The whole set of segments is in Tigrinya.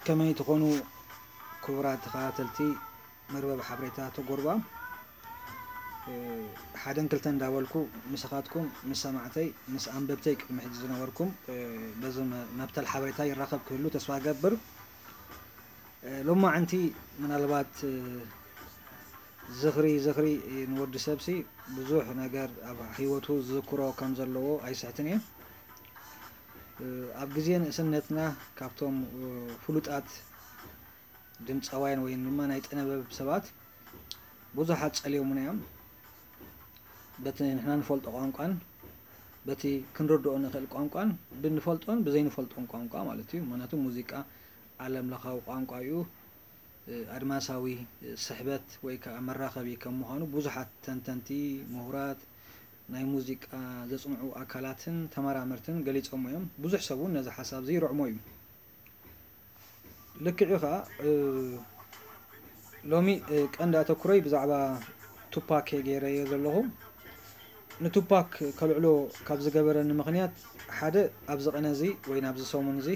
ከመይ ትኾኑ ክቡራት ተኸታተልቲ መርበብ ሓበሬታ ተጎርባ? ሓደን ክልተን እንዳበልኩ ምሳኻትኩም፣ ምስ ሰማዕተይ፣ ምስ ኣንበብተይ ቅድሚ ሕጂ ዝነበርኩም በዚ መብተል ሓበሬታ ይራኸብ ክህሉ ተስፋ እገብር። ሎማዓንቲ ምናልባት ዝኽሪ ዝኽሪ ንወዲ ሰብሲ ብዙሕ ነገር ኣብ ህይወቱ ዝዝክሮ ከም ዘለዎ ኣይስሕትን እየ። ኣብ ግዜ ንእስነትና ካብቶም ፍሉጣት ድምፃውያን ወይ ድማ ናይ ጥበብ ሰባት ብዙሓት ጸልዮሙና እዮም። በቲ ንሕና ንፈልጦ ቋንቋን በቲ ክንርድኦ ንኽእል ቋንቋን ብንፈልጦን ብዘይንፈልጦን ቋንቋ ማለት እዩ። ምክንያቱ ሙዚቃ ዓለም ለኻዊ ቋንቋ እዩ። ኣድማሳዊ ስሕበት ወይ ከዓ መራኸቢ ከም ምዃኑ ብዙሓት ተንተንቲ፣ ምሁራት፣ ናይ ሙዚቃ ዘጽንዑ ኣካላትን ተመራመርትን ገሊጾሞ እዮም። ብዙሕ ሰብ እውን ነዚ ሓሳብ እዚ ይርዕሞ እዩ። ልክዕ እዩ ከዓ ሎሚ ቀንዲ ኣተኩሮይ ብዛዕባ ቱፓክ ገይረዮ ዘለኹ። ንቱፓክ ከልዕሎ ካብ ዝገበረኒ ምኽንያት ሓደ ኣብዚ ቀነ እዚ ወይ ናብዚ ሰሙን እዚ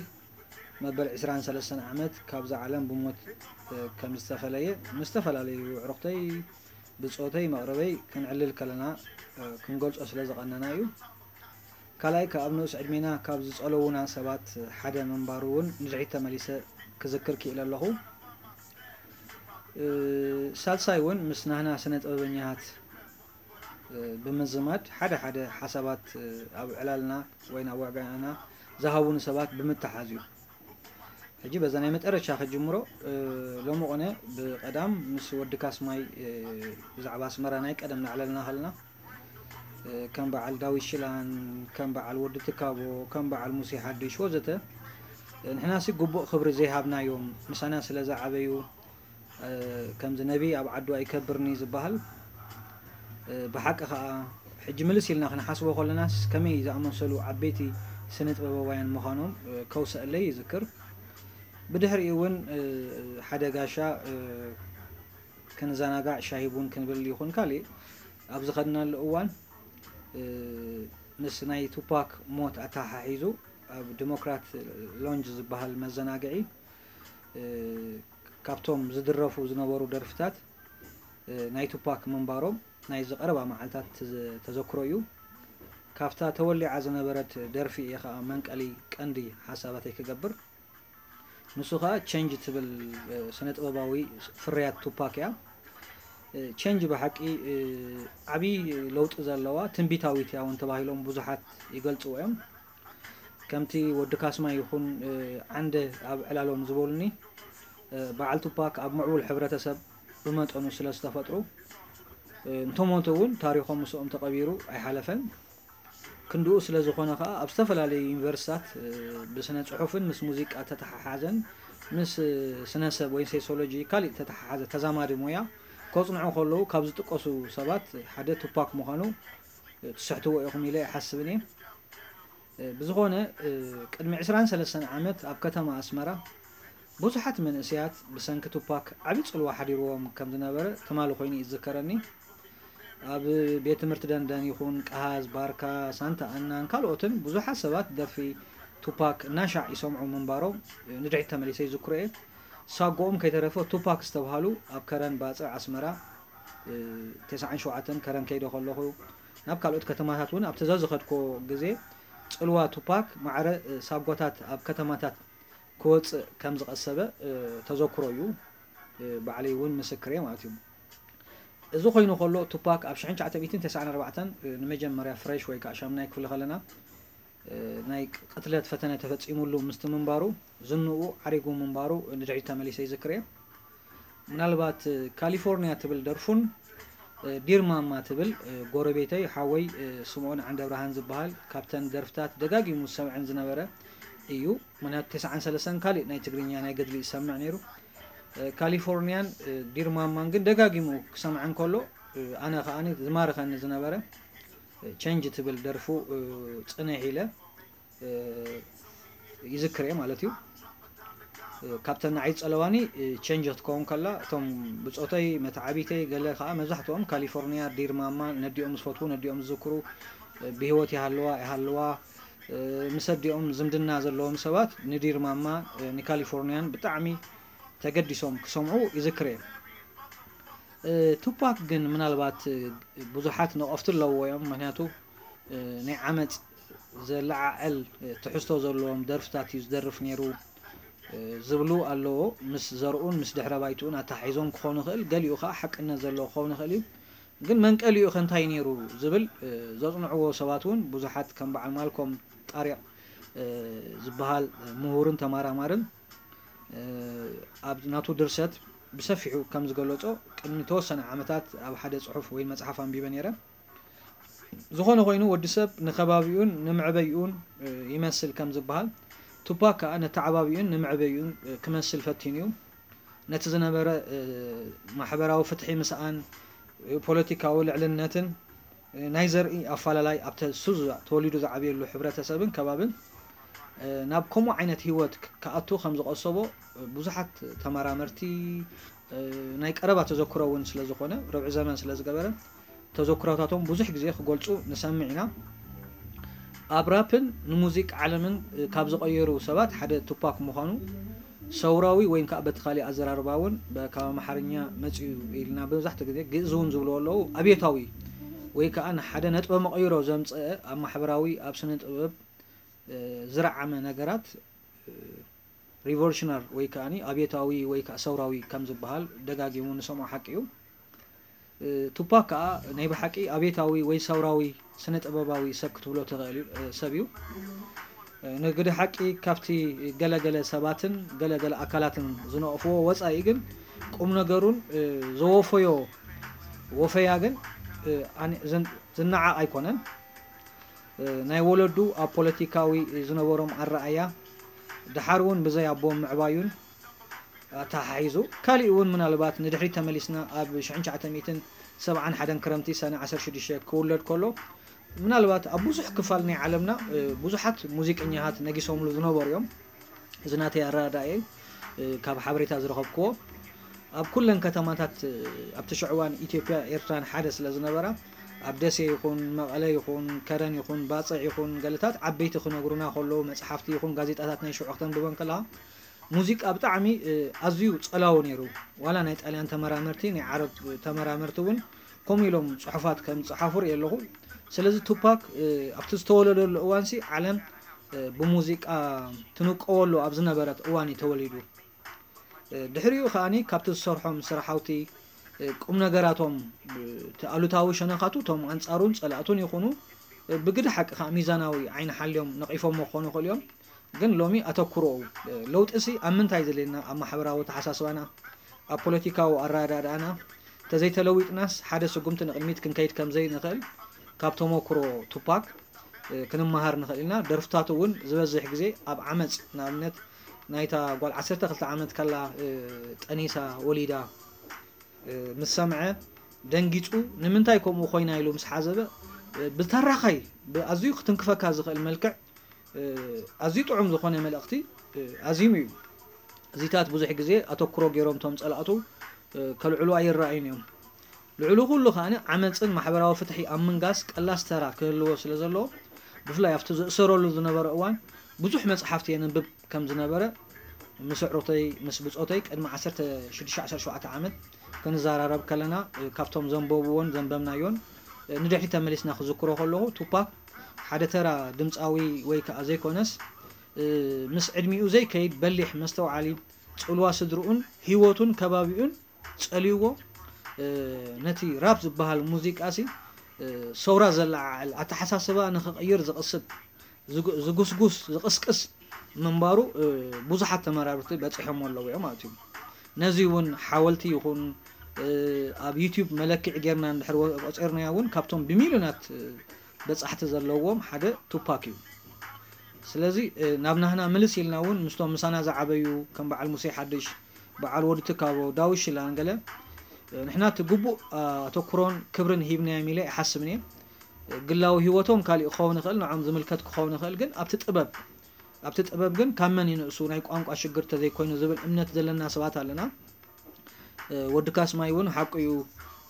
መበል ዕስራን ሰለስተን ዓመት ካብዛ ዓለም ብሞት ከም ዝተፈለየ ምስ ዝተፈላለዩ ኣዕሩኽተይ ብጾተይ መቕርበይ ክንዕልል ከለና ክንገልጾ ስለ ዝቐነና እዩ። ካልኣይ ካብ ኣብ ንኡስ ዕድሜና ካብ ዝጸለዉና ሰባት ሓደ ምንባሩ እውን ንድሕሪት ተመሊሰ ክዝክር ክኢለ ኣለኹ። ሳልሳይ እውን ምስ ናህና ስነ ጥበበኛታት ብምዝማድ ሓደ ሓደ ሓሳባት ኣብ ዕላልና ወይ ናብ ዋዕጋና ዝሃቡኒ ሰባት ብምትሓዝ እዩ። ሕጂ በዛ ናይ መጠረሻ ክጅምሮ ሎሚ ቆነ ብቐዳም ምስ ወዲ ካስማይ ብዛዕባ ኣስመራ ናይ ቀደም ናዕለልና ከለና ከም በዓል ዳዊት ሽላን ከም በዓል ወዲ ትካቦ ከም በዓል ሙሴ ሓድሽ ወዘተ ንሕናሲ ግቡእ ክብሪ ዘይሃብናዮም ምሳና ስለ ዝዓበዩ ከምዚ ነቢ ኣብ ዓዱ ኣይከብርኒ ዝበሃል ብሓቂ ከዓ ሕጂ ምልስ ኢልና ክንሓስቦ ከለናስ ከመይ ዝኣመሰሉ ዓበይቲ ስነ ጥበባውያን ምዃኖም ከውሰአለይ ይዝክር። ብድሕሪኡ እውን ሓደ ጋሻ ክንዘናጋዕ ሻሂ ቡን ክንብል ይኹን ካሊእ ኣብ ዝኸድናሉ እዋን ምስ ናይ ቱፓክ ሞት ኣተሓሒዙ ኣብ ዲሞክራት ሎንጅ ዝበሃል መዘናግዒ ካብቶም ዝድረፉ ዝነበሩ ደርፍታት ናይ ቱፓክ ምንባሮም ናይ ዝቐረባ መዓልታት ተዘክሮ እዩ። ካብታ ተወሊዓ ዝነበረት ደርፊ እየ ከዓ መንቀሊ ቀንዲ ሓሳባተይ ክገብር። ንሱ ከዓ ቸንጅ ትብል ስነ ጥበባዊ ፍርያት ቱፓክ እያ። ቸንጅ ብሓቂ ዓብዪ ለውጢ ዘለዋ ትንቢታዊት እያ እውን ተባሂሎም ብዙሓት ይገልፅዎ እዮም። ከምቲ ወዲ ካስማ ይኹን ዓንደ ኣብ ዕላሎም ዝበሉኒ በዓል ቱፓክ ኣብ ምዕቡል ሕብረተሰብ ብመጠኑ ስለ ዝተፈጥሩ እንተሞቱ እውን ታሪኾም ምስኦም ተቐቢሩ ኣይሓለፈን። ክንድኡ ስለ ዝኾነ ከዓ ኣብ ዝተፈላለዩ ዩኒቨርሲታት ብስነ ፅሑፍን ምስ ሙዚቃ ተተሓሓዘን ምስ ስነሰብ ወይ ሴሶሎጂ ካሊእ ተተሓሓዘ ተዛማዲ ሞያ ከፅንዑ ከለዉ ካብ ዝጥቀሱ ሰባት ሓደ ቱፓክ ምዃኑ ትስሕትዎ ኢኹም ኢለ ኣይሓስብን እየ። ብዝኾነ ቅድሚ ዕስራን ሰለስተን ዓመት ኣብ ከተማ ኣስመራ ብዙሓት መንእሰያት ብሰንኪ ቱፓክ ዓቢ ጽልዋ ሓዲርዎም ከም ዝነበረ ትማሊ ኮይኑ እዩ ዝዝከረኒ። ኣብ ቤት ትምህርቲ ደንደን ይኹን ቀሃዝ፣ ባርካ፣ ሳንታ ኣናን ካልኦትን ብዙሓት ሰባት ደርፊ ቱፓክ እናሻዕ ይሰምዑ ምንባሮም ንድሕሪት ተመሊሰ ይዝክሮ እየ። ሳጎኦም ከይተረፈ ቱፓክ ዝተብሃሉ ኣብ ከረን ባጽዕ ኣስመራ ተስዓን ሸውዓተን ከረን ከይደ ከለኹ ናብ ካልኦት ከተማታት እውን ኣብቲ ዘዝኸድኮ ግዜ ጽልዋ ቱፓክ ማዕረ ሳጎታት ኣብ ከተማታት ክወፅእ ከም ዝቐሰበ ተዘክሮ እዩ። ባዕለይ እውን ምስክር እየ ማለት እዩ። እዚ ኮይኑ ከሎ ቱፓክ ኣብ ሽሕን ትሽዓተ ሚእትን ተስዓን ኣርባዕተን ንመጀመርያ ፍሬሽ ወይ ከዓ ሻምናይ ክፍሊ ከለና ናይ ቅትለት ፈተነ ተፈፂሙሉ ምስቲ ምንባሩ ዝንኡ ዓሪጉ ምንባሩ ንድሕሪት ተመሊሰ ይዝክር እየ። ምናልባት ካሊፎርኒያ ትብል ደርፉን ዲር ማማ ትብል ጎረቤተይ ሓወይ ስምኦን ዓንደብርሃን ዝበሃል ካብተን ደርፍታት ደጋጊሙ ዝሰምዐን ዝነበረ እዩ። ምክንያቱ ተስዓን ሰለስተን ካሊእ ናይ ትግርኛ ናይ ገድሊ ይሰምዕ ነይሩ። ካሊፎርኒያን ዲር ማማን ግን ደጋጊሙ ክሰምዐን ከሎ ኣነ ከዓኒ ዝማርከኒ ዝነበረ ቸንጅ ትብል ደርፉ ፅንሕ ኢለ ይዝክር እየ ማለት እዩ። ካብተን ንዓይ ዝፀለዋኒ ቸንጅ ክትከውን ከላ እቶም ብፆተይ መተዓቢተይ ገለ ከዓ መብዛሕትኦም ካሊፎርኒያ ዲር ማማ ነዲኦም ዝፈትዉ ነዲኦም ዝዝክሩ ብህይወት ይሃልዋ ይሃልዋ ምስ ኣዲኦም ዝምድና ዘለዎም ሰባት ንዲር ማማ ንካሊፎርኒያን ብጣዕሚ ተገዲሶም ክሰምዑ ይዝክር እየ። ቱፓክ ግን ምናልባት ብዙሓት ነቐፍቲ ኣለዎ እዮም። ምክንያቱ ናይ ዓመፅ ዘለዓዕል ትሕዝቶ ዘለዎም ደርፍታት እዩ ዝደርፍ ነይሩ ዝብሉ ኣለዎ። ምስ ዘርኡን ምስ ድሕረ ባይትኡን ኣተሓሒዞም ክኾኑ ይኽእል፣ ገሊኡ ከዓ ሓቅነት ዘለዎ ክኸውን ይኽእል እዩ። ግን መንቀሊኡ ከ እንታይ ነይሩ ዝብል ዘፅንዕዎ ሰባት እውን ብዙሓት ከም በዓል ማልኮም ጣሪቕ ዝበሃል ምሁርን ተመራማርን ኣብ ናቱ ድርሰት ብሰፊሑ ከም ዝገለጾ፣ ቅድሚ ተወሰነ ዓመታት ኣብ ሓደ ጽሑፍ ወይ መጽሓፍ ኣንቢበ ነይረ። ዝኾነ ኮይኑ ወዲ ሰብ ንከባቢኡን ንምዕበይኡን ይመስል ከም ዝበሃል፣ ቱፓክ ከኣ ነተዓባቢኡን ንምዕበይኡን ክመስል ፈቲኑ እዩ። ነቲ ዝነበረ ማሕበራዊ ፍትሒ ምስኣን፣ ፖለቲካዊ ልዕልነትን ናይ ዘርኢ ኣፋላላይ ኣብተ ሱዙ ተወሊዱ ዝዓብየሉ ሕብረተሰብን ከባብን ናብ ከምኡ ዓይነት ህይወት ክኣቱ ከም ዝቐሰቦ ብዙሓት ተመራመርቲ ናይ ቀረባ ተዘክሮ እውን ስለ ዝኾነ፣ ርብዒ ዘመን ስለ ዝገበረ፣ ተዘክሮታቶም ብዙሕ ግዜ ክገልጹ ንሰምዕ ኢና። ኣብ ራፕን ንሙዚቃ ዓለምን ካብ ዝቐየሩ ሰባት ሓደ ቱፓክ ምዃኑ፣ ሰውራዊ ወይ ከዓ በቲ ካሊእ ኣዘራርባ እውን በ-፣ ካብ ኣምሓርኛ መጺኡ ኢልና መብዛሕትኡ ግዜ ግእዝ እውን ዝብልዎ ኣለዉ፣ ኣብዮታዊ ወይ ከዓ ንሓደ ነጥበ መቐይሮ ዘምጸአ ኣብ ማሕበራዊ፣ ኣብ ስነ ጥበብ ዝረዓመ ነገራት ሪቮሉሽነር ወይ ከዓ ኣብዮታዊ ወይ ከዓ ሰውራዊ ከም ዝበሃል ደጋጊሙ ንሰምዖ ሓቂ እዩ። ቱፓክ ከዓ ናይ ብሓቂ ኣብዮታዊ ወይ ሰውራዊ ስነ ጥበባዊ ሰብ ክትብሎ ትኽእል እዩ፣ ሰብ እዩ። ንግዲ ሓቂ ካብቲ ገለገለ ሰባትን ገለገለ ኣካላትን ዝነቕፍዎ ወፃኢ ግን ቁም ነገሩን ዘወፈዮ ወፈያ ግን ዝነዓቕ ኣይኮነን። ናይ ወለዱ ኣብ ፖለቲካዊ ዝነበሮም ኣረኣያ፣ ደሓር እውን ብዘይ ኣቦ ምዕባዩን ኣተሓሒዙ፣ ካሊእ እውን ምናልባት ንድሕሪት ተመሊስና ኣብ ሽሕን ትሽዓተ ሚእትን ሰብዓን ሓደን ክረምቲ ሰነ ዓሰርተ ሽዱሽተ ክውለድ ከሎ፣ ምናልባት ኣብ ብዙሕ ክፋል ናይ ዓለምና ብዙሓት ሙዚቀኛታት ነጊሶምሉ ዝነበሩ እዮም። እዚ ናተይ ኣረዳድኣ እዩ፣ ካብ ሓበሬታ ዝረኸብክዎ። ኣብ ኩለን ከተማታት ኣብቲ ሽዑ እዋን ኢትዮጵያ ኤርትራን ሓደ ስለ ዝነበራ፣ ኣብ ደሴ ይኹን መቐለ ይኹን ከረን ይኹን ባጽዕ ይኹን ገለታት ዓበይቲ ክነግሩና ከለዉ፣ መጽሓፍቲ ይኹን ጋዜጣታት ናይ ሽዑ ክተንብበን ከለኻ፣ ሙዚቃ ብጣዕሚ ኣዝዩ ጸላዊ ነይሩ። ዋላ ናይ ጣልያን ተመራመርቲ፣ ናይ ዓረብ ተመራመርቲ እውን ከምኡ ኢሎም ጽሑፋት ከም ዝጸሓፉ ርኢ ኣለኹ። ስለዚ ቱፓክ ኣብቲ ዝተወለደሉ እዋንሲ ዓለም ብሙዚቃ ትንቀወሉ ኣብ ዝነበረት እዋን እዩ ተወሊዱ። ድሕሪኡ ከኣኒ ካብቲ ዝሰርሖም ስራሓውቲ ቁም ነገራቶም፣ እቲ ኣሉታዊ ሸነኻቱ እቶም ኣንጻሩን ጸላእቱን ይኹኑ ብግዲ ሓቂ ከኣ ሚዛናዊ ዓይኒ ሓልዮም ነቒፎሞ ክኾኑ ይኽእሉ እዮም። ግን ሎሚ ኣተኩሮኡ ለውጢሲ ኣብ ምንታይ ዘድልየና፣ ኣብ ማሕበራዊ ኣተሓሳስባና፣ ኣብ ፖለቲካዊ ኣረዳድኣና ተዘይተለዊጥናስ ሓደ ስጉምቲ ንቕድሚት ክንከይድ ከም ዘይንኽእል ካብ ተመኩሮ ቱፓክ ክንመሃር ንኽእል ኢና። ደርፍታቱ እውን ዝበዝሕ ግዜ ኣብ ዓመጽ፣ ንኣብነት ናይታ ጓል ዓሰርተ ክልተ ዓመት ከላ ጠኒሳ ወሊዳ ምስ ሰምዐ ደንጊጹ፣ ንምንታይ ከምኡ ኮይና ኢሉ ምስ ሓዘበ ብተራኻይ ብኣዝዩ ክትንክፈካ ዝኽእል መልክዕ ኣዝዩ ጥዑም ዝኾነ መልእኽቲ ኣዚሙ እዩ። እዚታት ብዙሕ ግዜ ኣተኩሮ ገይሮም እቶም ጸላእቱ ከልዕሉ ኣይረኣዩን እዮም። ልዕሊ ኩሉ ከኣ ዓመጽን ማሕበራዊ ፍትሒ ኣብ ምንጋስ ቀላስ ተራ ክህልዎ ስለ ዘለዎ፣ ብፍላይ ኣብቲ ዝእሰረሉ ዝነበረ እዋን ብዙሕ መጽሓፍቲ የንብብ ከም ዝነበረ ምስ ኣዕሩኽተይ ምስ ብጾተይ ቅድሚ ዓሰርተ ሽዱሽተ ዓሰርተ ሸውዓተ ዓመት ክንዘራረብ ከለና ካብቶም ዘንበብዎን ዘንበብናዮን ንድሕሪት ተመሊስና ክዝክሮ ከለኹ፣ ቱፓክ ሓደ ተራ ድምጻዊ ወይ ከኣ ዘይኮነስ ምስ ዕድሚኡ ዘይከይድ በሊሕ መስተውዓሊ፣ ጽልዋ ስድርኡን ህይወቱን ከባቢኡን ጸልይዎ ነቲ ራፕ ዝበሃል ሙዚቃሲ ሰውራ ዘለዓዕል፣ ኣተሓሳስባ ንኽቕይር ዝቕስብ፣ ዝጉስጉስ ዝቕስቅስ ምንባሩ ብዙሓት ተመራመርቲ በጺሖሞ ኣለዉ እዮም ማለት እዩ። ነዚ እውን ሓወልቲ ይኹን ኣብ ዩቲዩብ መለክዒ ጌርና እንድሕር ቆጺርናዮ እውን ካብቶም ብሚልዮናት በጻሕቲ ዘለዎም ሓደ ቱፓክ እዩ። ስለዚ ናብ ናህና ምልስ ኢልና እውን ምስቶም ምሳና ዝዓበዩ ከም በዓል ሙሴ ሓድሽ፣ በዓል ወዲ ትካቦ፣ ዳዊት ሽላን ገለ ንሕና እቲ ግቡእ ኣተኩሮን ክብርን ሂብናዮም ኢለ ይሓስብን እየ። ግላዊ ህይወቶም ካሊእ ክኸውን ይኽእል፣ ንዖም ዝምልከት ክኸውን ይኽእል፣ ግን ኣብቲ ጥበብ ኣብቲ ጥበብ ግን ካብ መን ይንእሱ ናይ ቋንቋ ሽግር ተዘይኮይኑ ዝብል እምነት ዘለና ሰባት ኣለና። ወዲ ካስማይ እውን ሓቁ እዩ፣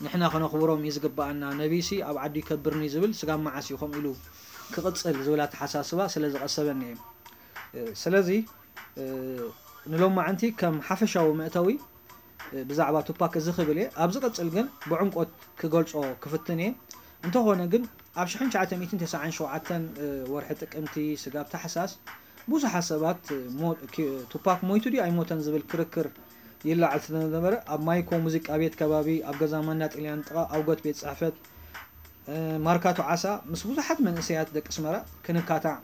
ንሕና ከነኽብሮም እዩ ዝግበኣና። ነቢሲ ኣብ ዓዱ ይከብርኒ ዝብል ስጋብ መዓስ እዩ ከምኡ ኢሉ ክቕጽል ዝብል ኣተሓሳስባ ስለ ዝቐሰበኒ እየ። ስለዚ ንሎማዓንቲ ከም ሓፈሻዊ መእተዊ ብዛዕባ ቱፓክ እዚ ክብል እየ። ኣብ ዝቕጽል ግን ብዕምቆት ክገልጾ ክፍትን እየ። እንተኾነ ግን ኣብ ሽሕን ትሽዓተ ሚእትን ተስዓን ሸውዓተን ወርሒ ጥቅምቲ ስጋብ ታሕሳስ ብዙሓት ሰባት ቱፓክ ሞይቱ ድዩ ኣይሞተን ዝብል ክርክር ይለዓል ስለዝነበረ ኣብ ማይኮ ሙዚቃ ቤት ከባቢ ኣብ ገዛ ማንዳ ጥልያን ጥቓ ኣውገት ቤት ጽሕፈት ማርካቶ ዓሳ ምስ ብዙሓት መንእሰያት ደቂ ኣስመራ ክንካታዕ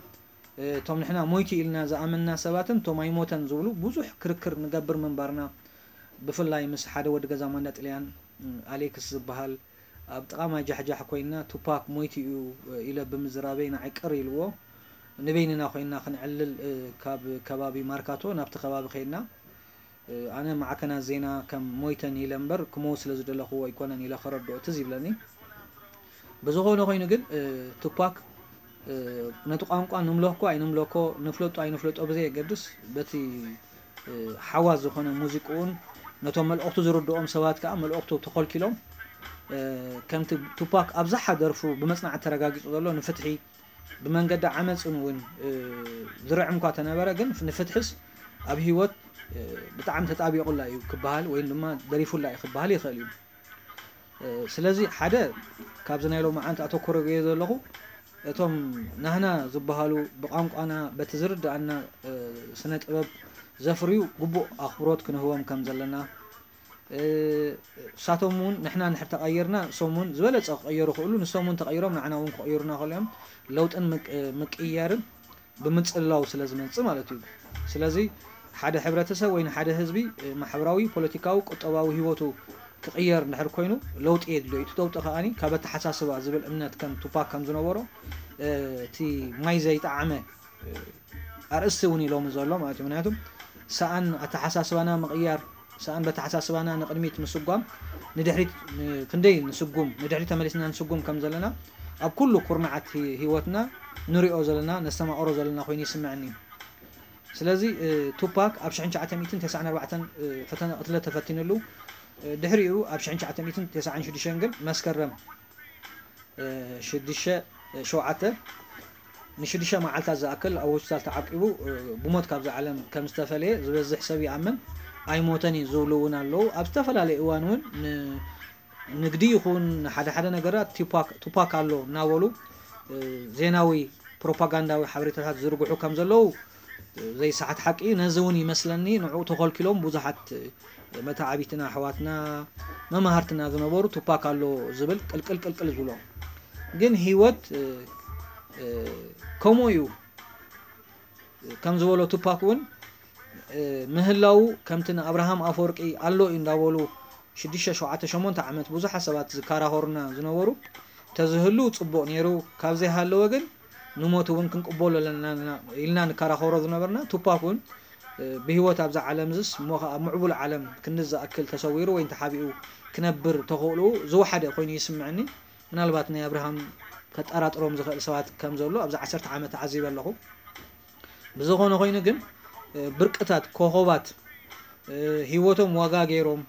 እቶም ንሕና ሞይቱ ኢልና ዝኣመንና ሰባትን እቶም ኣይሞተን ዝብሉ ብዙሕ ክርክር ንገብር ምንባርና ብፍላይ ምስ ሓደ ወዲ ገዛ ማንዳ ጥልያን ኣሌክስ ዝበሃል ኣብ ጥቓ ማይ ጃሕጃሕ ኮይንና ቱፓክ ሞይቱ እዩ ኢለ ብምዝራበይ ንዓይ ቅር ኢልዎ ንበይንና ኮይንና ክንዕልል ካብ ከባቢ ማርካቶ ናብቲ ከባቢ ከይድና ኣነ ማዕከናት ዜና ከም ሞይተን ኢለ እምበር ክመውት ስለ ዝደለኽዎ ኣይኮነን ኢለ ከረድኦ ትዝ ይብለኒ። ብዝኾነ ኮይኑ ግን ቱፓክ ነቲ ቋንቋ ንምለኮ ኣይንምለኮ ንፍለጦ ኣይንፍለጦ ብዘየገድስ በቲ ሓዋስ ዝኾነ ሙዚቅኡን ነቶም መልእኽቱ ዝርድኦም ሰባት ከዓ መልእኽቱ ተኾልኪሎም ከምቲ ቱፓክ ኣብዝሓ ደርፉ ብመፅናዕቲ ተረጋጊፁ ዘሎ ንፍትሒ ብመንገዲ ዓመፅን እውን ዝርዕም እኳ ተነበረ ግን ንፍትሕስ ኣብ ህይወት ብጣዕሚ ተጣቢቑላ እዩ ክበሃል ወይ ድማ ደሪፉላ እዩ ክበሃል ይኽእል እዩ። ስለዚ ሓደ ካብዚ ናይ ሎማዓንቲ ኣተኮረ ገየ ዘለኹ እቶም ናህና ዝበሃሉ ብቋንቋና በቲ ዝርድኣና ስነ ጥበብ ዘፍርዩ ግቡእ ኣኽብሮት ክንህቦም ከም ዘለና እሳቶም እውን ንሕና እንድሕር ተቐይርና ንሶም እውን ዝበለፀ ክቐየሩ ይኽእሉ ንሶም እውን ተቐይሮም ንዓና እውን ክቕይሩና ከለዮም ለውጥን ምቅያርን ብምፅልላው ስለ ዝመፅእ ማለት እዩ። ስለዚ ሓደ ሕብረተሰብ ወይ ንሓደ ህዝቢ ማሕበራዊ፣ ፖለቲካዊ፣ ቁጠባዊ ህይወቱ ክቕየር እንድሕር ኮይኑ ለውጢ የድልዮ። እቲ ለውጢ ከኣ ካብ ኣተሓሳስባ ዝብል እምነት ከም ቱፓክ ከም ዝነበሮ እቲ ማይ ዘይጠዓመ ኣርእስቲ እውን ኢሎም ዘሎ ማለት እዩ። ምክንያቱ ሰኣን ኣተሓሳስባና ምቕያር ሰኣን በተሓሳስባና ንቕድሚት ምስጓም ንድሕሪት ክንደይ ንስጉም ንድሕሪት ተመሊስና ንስጉም ከም ዘለና ኣብ ኩሉ ኩርናዓት ህይወትና ንሪኦ ዘለና ነስተማቕሮ ዘለና ኮይኑ ይስምዐኒ። ስለዚ ቱፓክ ኣብ ሽሕን ትሽዓተ ሚእትን ተስዓን ኣርባዕተን ፈተነ ቅትለት ተፈቲንሉ ድሕሪኡ ኣብ ሽሕን ትሽዓተ ሚእትን ተስዓን ሽዱሽተን ግን መስከረም ሽዱሽተ ሸውዓተ ንሽዱሽተ መዓልታት ዝኣክል ኣብ ሆስፒታል ተዓቂቡ ብሞት ካብዚ ዓለም ከም ዝተፈለየ ዝበዝሕ ሰብ ይኣምን። ኣይሞተን እዩ ዝብሉ እውን ኣለዉ። ኣብ ዝተፈላለየ እዋን እውን ንግዲ ይኹን ሓደ ሓደ ነገራት ቱፓክ ኣሎ እናበሉ ዜናዊ ፕሮፓጋንዳዊ ሓበሬታታት ዝዝርግሑ ከም ዘለዉ ዘይሰሓት ሓቂ እዩ። ነዚ እውን ይመስለኒ ንዕኡ ተኸልኪሎም ብዙሓት መተዓቢትና ኣሕዋትና መማህርትና ዝነበሩ ቱፓክ ኣሎ ዝብል ቅልቅል ቅልቅል ዝብሎ ግን ህይወት ከምኡ እዩ ከም ዝበሎ ቱፓክ እውን ምህላው ከምቲ ንኣብርሃም ኣፈወርቂ ኣሎ እዩ እንዳበሉ ሽዱሽተ ሸውዓተ ሸሞንተ ዓመት ብዙሓት ሰባት ዝከራኸሩና ዝነበሩ ተዝህሉ ፅቡቕ ነይሩ ካብ ዘይሃለወ ግን ንሞት እውን ክንቅበሎ ኣለና ኢልና ንከራኸሮ ዝነበርና ቱፓክ እውን ብህይወት ኣብዛ ዓለም ዝስ እሞ ከዓ ምዕቡል ዓለም ክንዲ ዝኣክል ተሰዊሩ ወይ ተሓቢኡ ክነብር ተኽእልኡ ዝወሓደ ኮይኑ ይስምዐኒ። ምናልባት ናይ ኣብርሃም ከጠራጥሮም ዝኽእል ሰባት ከም ዘሎ ኣብዚ ዓሰርተ ዓመት ተዓዚበ ኣለኹ። ብዝኾነ ኮይኑ ግን ብርቅታት ኮኾባት ህይወቶም ዋጋ ገይሮም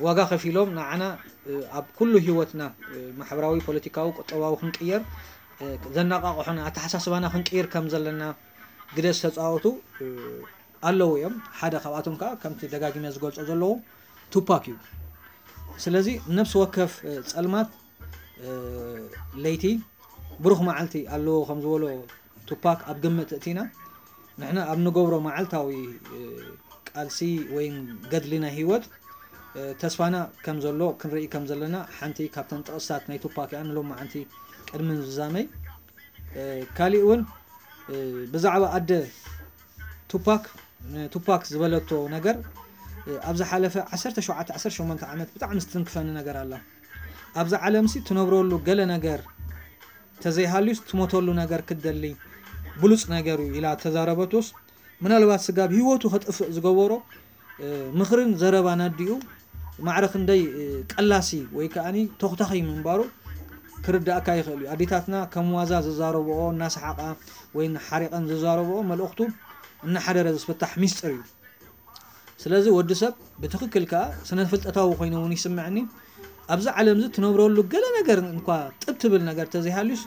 ዋጋ ከፊሎም ንዓና ኣብ ኩሉ ህይወትና ማሕበራዊ፣ ፖለቲካዊ፣ ቁጠባዊ ክንቅየር ዘነቃቕሑና ኣተሓሳስባና ክንቅይር ከም ዘለና ግደ ዝተፃወቱ ኣለዉ እዮም። ሓደ ካብኣቶም ከዓ ከምቲ ደጋጊመ ዝገልፆ ዘለዉ ቱፓክ እዩ። ስለዚ ነብሲ ወከፍ ፀልማት ለይቲ ብሩኽ መዓልቲ ኣለዎ ከም ዝበሎ ቱፓክ ኣብ ግምት እቲና ንሕና ኣብ ንገብሮ መዓልታዊ ቃልሲ ወይ ገድሊ ናይ ህይወት ተስፋና ከም ዘሎ ክንርኢ ከም ዘለና ሓንቲ ካብተን ጥቕስታት ናይ ቱፓክ እያ ንሎማዓንቲ ቅድሚ ዝዛመይ። ካሊእ እውን ብዛዕባ ኣደ ቱፓክ ንቱፓክ ዝበለቶ ነገር ኣብ ዝሓለፈ ዓሰርተ ሸውዓተ ዓሰርተ ሸሞንተ ዓመት ብጣዕሚ ዝትንክፈኒ ነገር ኣላ። ኣብዛ ዓለምሲ ትነብረሉ ገለ ነገር ተዘይሃልዩስ ትሞተሉ ነገር ክትደሊ ብሉፅ ነገር እዩ ኢላ ተዛረበቶስ ምናልባት ስጋብ ህይወቱ ከጥፍእ ዝገበሮ ምኽርን ዘረባን ኣዲኡ ማዕረ ክንደይ ቀላሲ ወይ ከዓኒ ተኹታኺ ምንባሩ ክርዳእካ ይኽእል እዩ። ኣዴታትና ከም ዋዛ ዝዛረብኦ እናሰሓቓ ወይ እናሓሪቐን ዝዛረብኦ መልእኽቱ እናሓደረ ዝፍታሕ ሚስጥር እዩ። ስለዚ ወዲ ሰብ ብትኽክል ከዓ ስነ ፍልጠታዊ ኮይኑ እውን ይስምዐኒ ኣብዚ ዓለም እዚ ትነብረሉ ገለ ነገር እንኳ ጥብ ትብል ነገር ተዘይሃልዩስ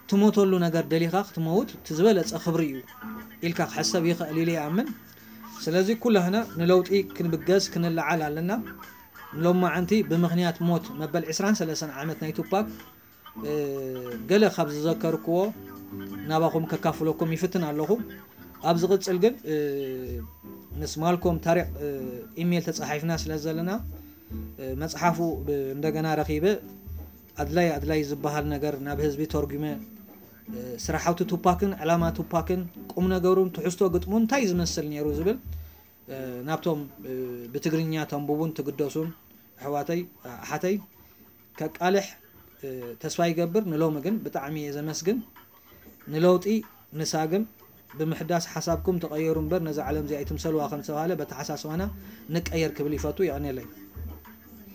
ትሞተሉ ነገር ደሊኻ ክትመውት እቲ ዝበለጸ ክብሪ እዩ ኢልካ ክሕሰብ ይኽእል ኢለ ይኣምን። ስለዚ ኩላህና ንለውጢ ክንብገስ ክንለዓል ኣለና። ሎማዓንቲ ብምኽንያት ሞት መበል ዕስራን ሰለስተን ዓመት ናይ ቱፓክ ገለ ካብ ዝዘከርክዎ ናባኹም ከካፍለኩም ይፍትን ኣለኹ። ኣብ ዝቕጽል ግን ምስ ማልኮም ታሪቕ ኢሜል ተጻሒፍና ስለ ዘለና መጽሓፉ እንደገና ረኺበ ኣድላይ ኣድላይ ዝበሃል ነገር ናብ ህዝቢ ተርጉመ ስራሓውቲ ቱፓክን ዕላማ ቱፓክን ቁም ነገሩን ትሕዝቶ ግጥሙ እንታይ ዝመስል ነይሩ ዝብል ናብቶም ብትግርኛ ተንብቡን ትግደሱን ኣሕዋተይ ኣሓተይ ከቃልሕ ተስፋ ይገብር። ንሎሚ ግን ብጣዕሚ እየ ዘመስግን። ንለውጢ ንሳግም ብምሕዳስ ሓሳብኩም ተቐየሩ እምበር ነዛ ዓለም እዚኣ ኣይትምሰልዋ ከም ዝተባህለ በተሓሳስባና ንቀየር ክብል ይፈቱ። የቐንየለይ።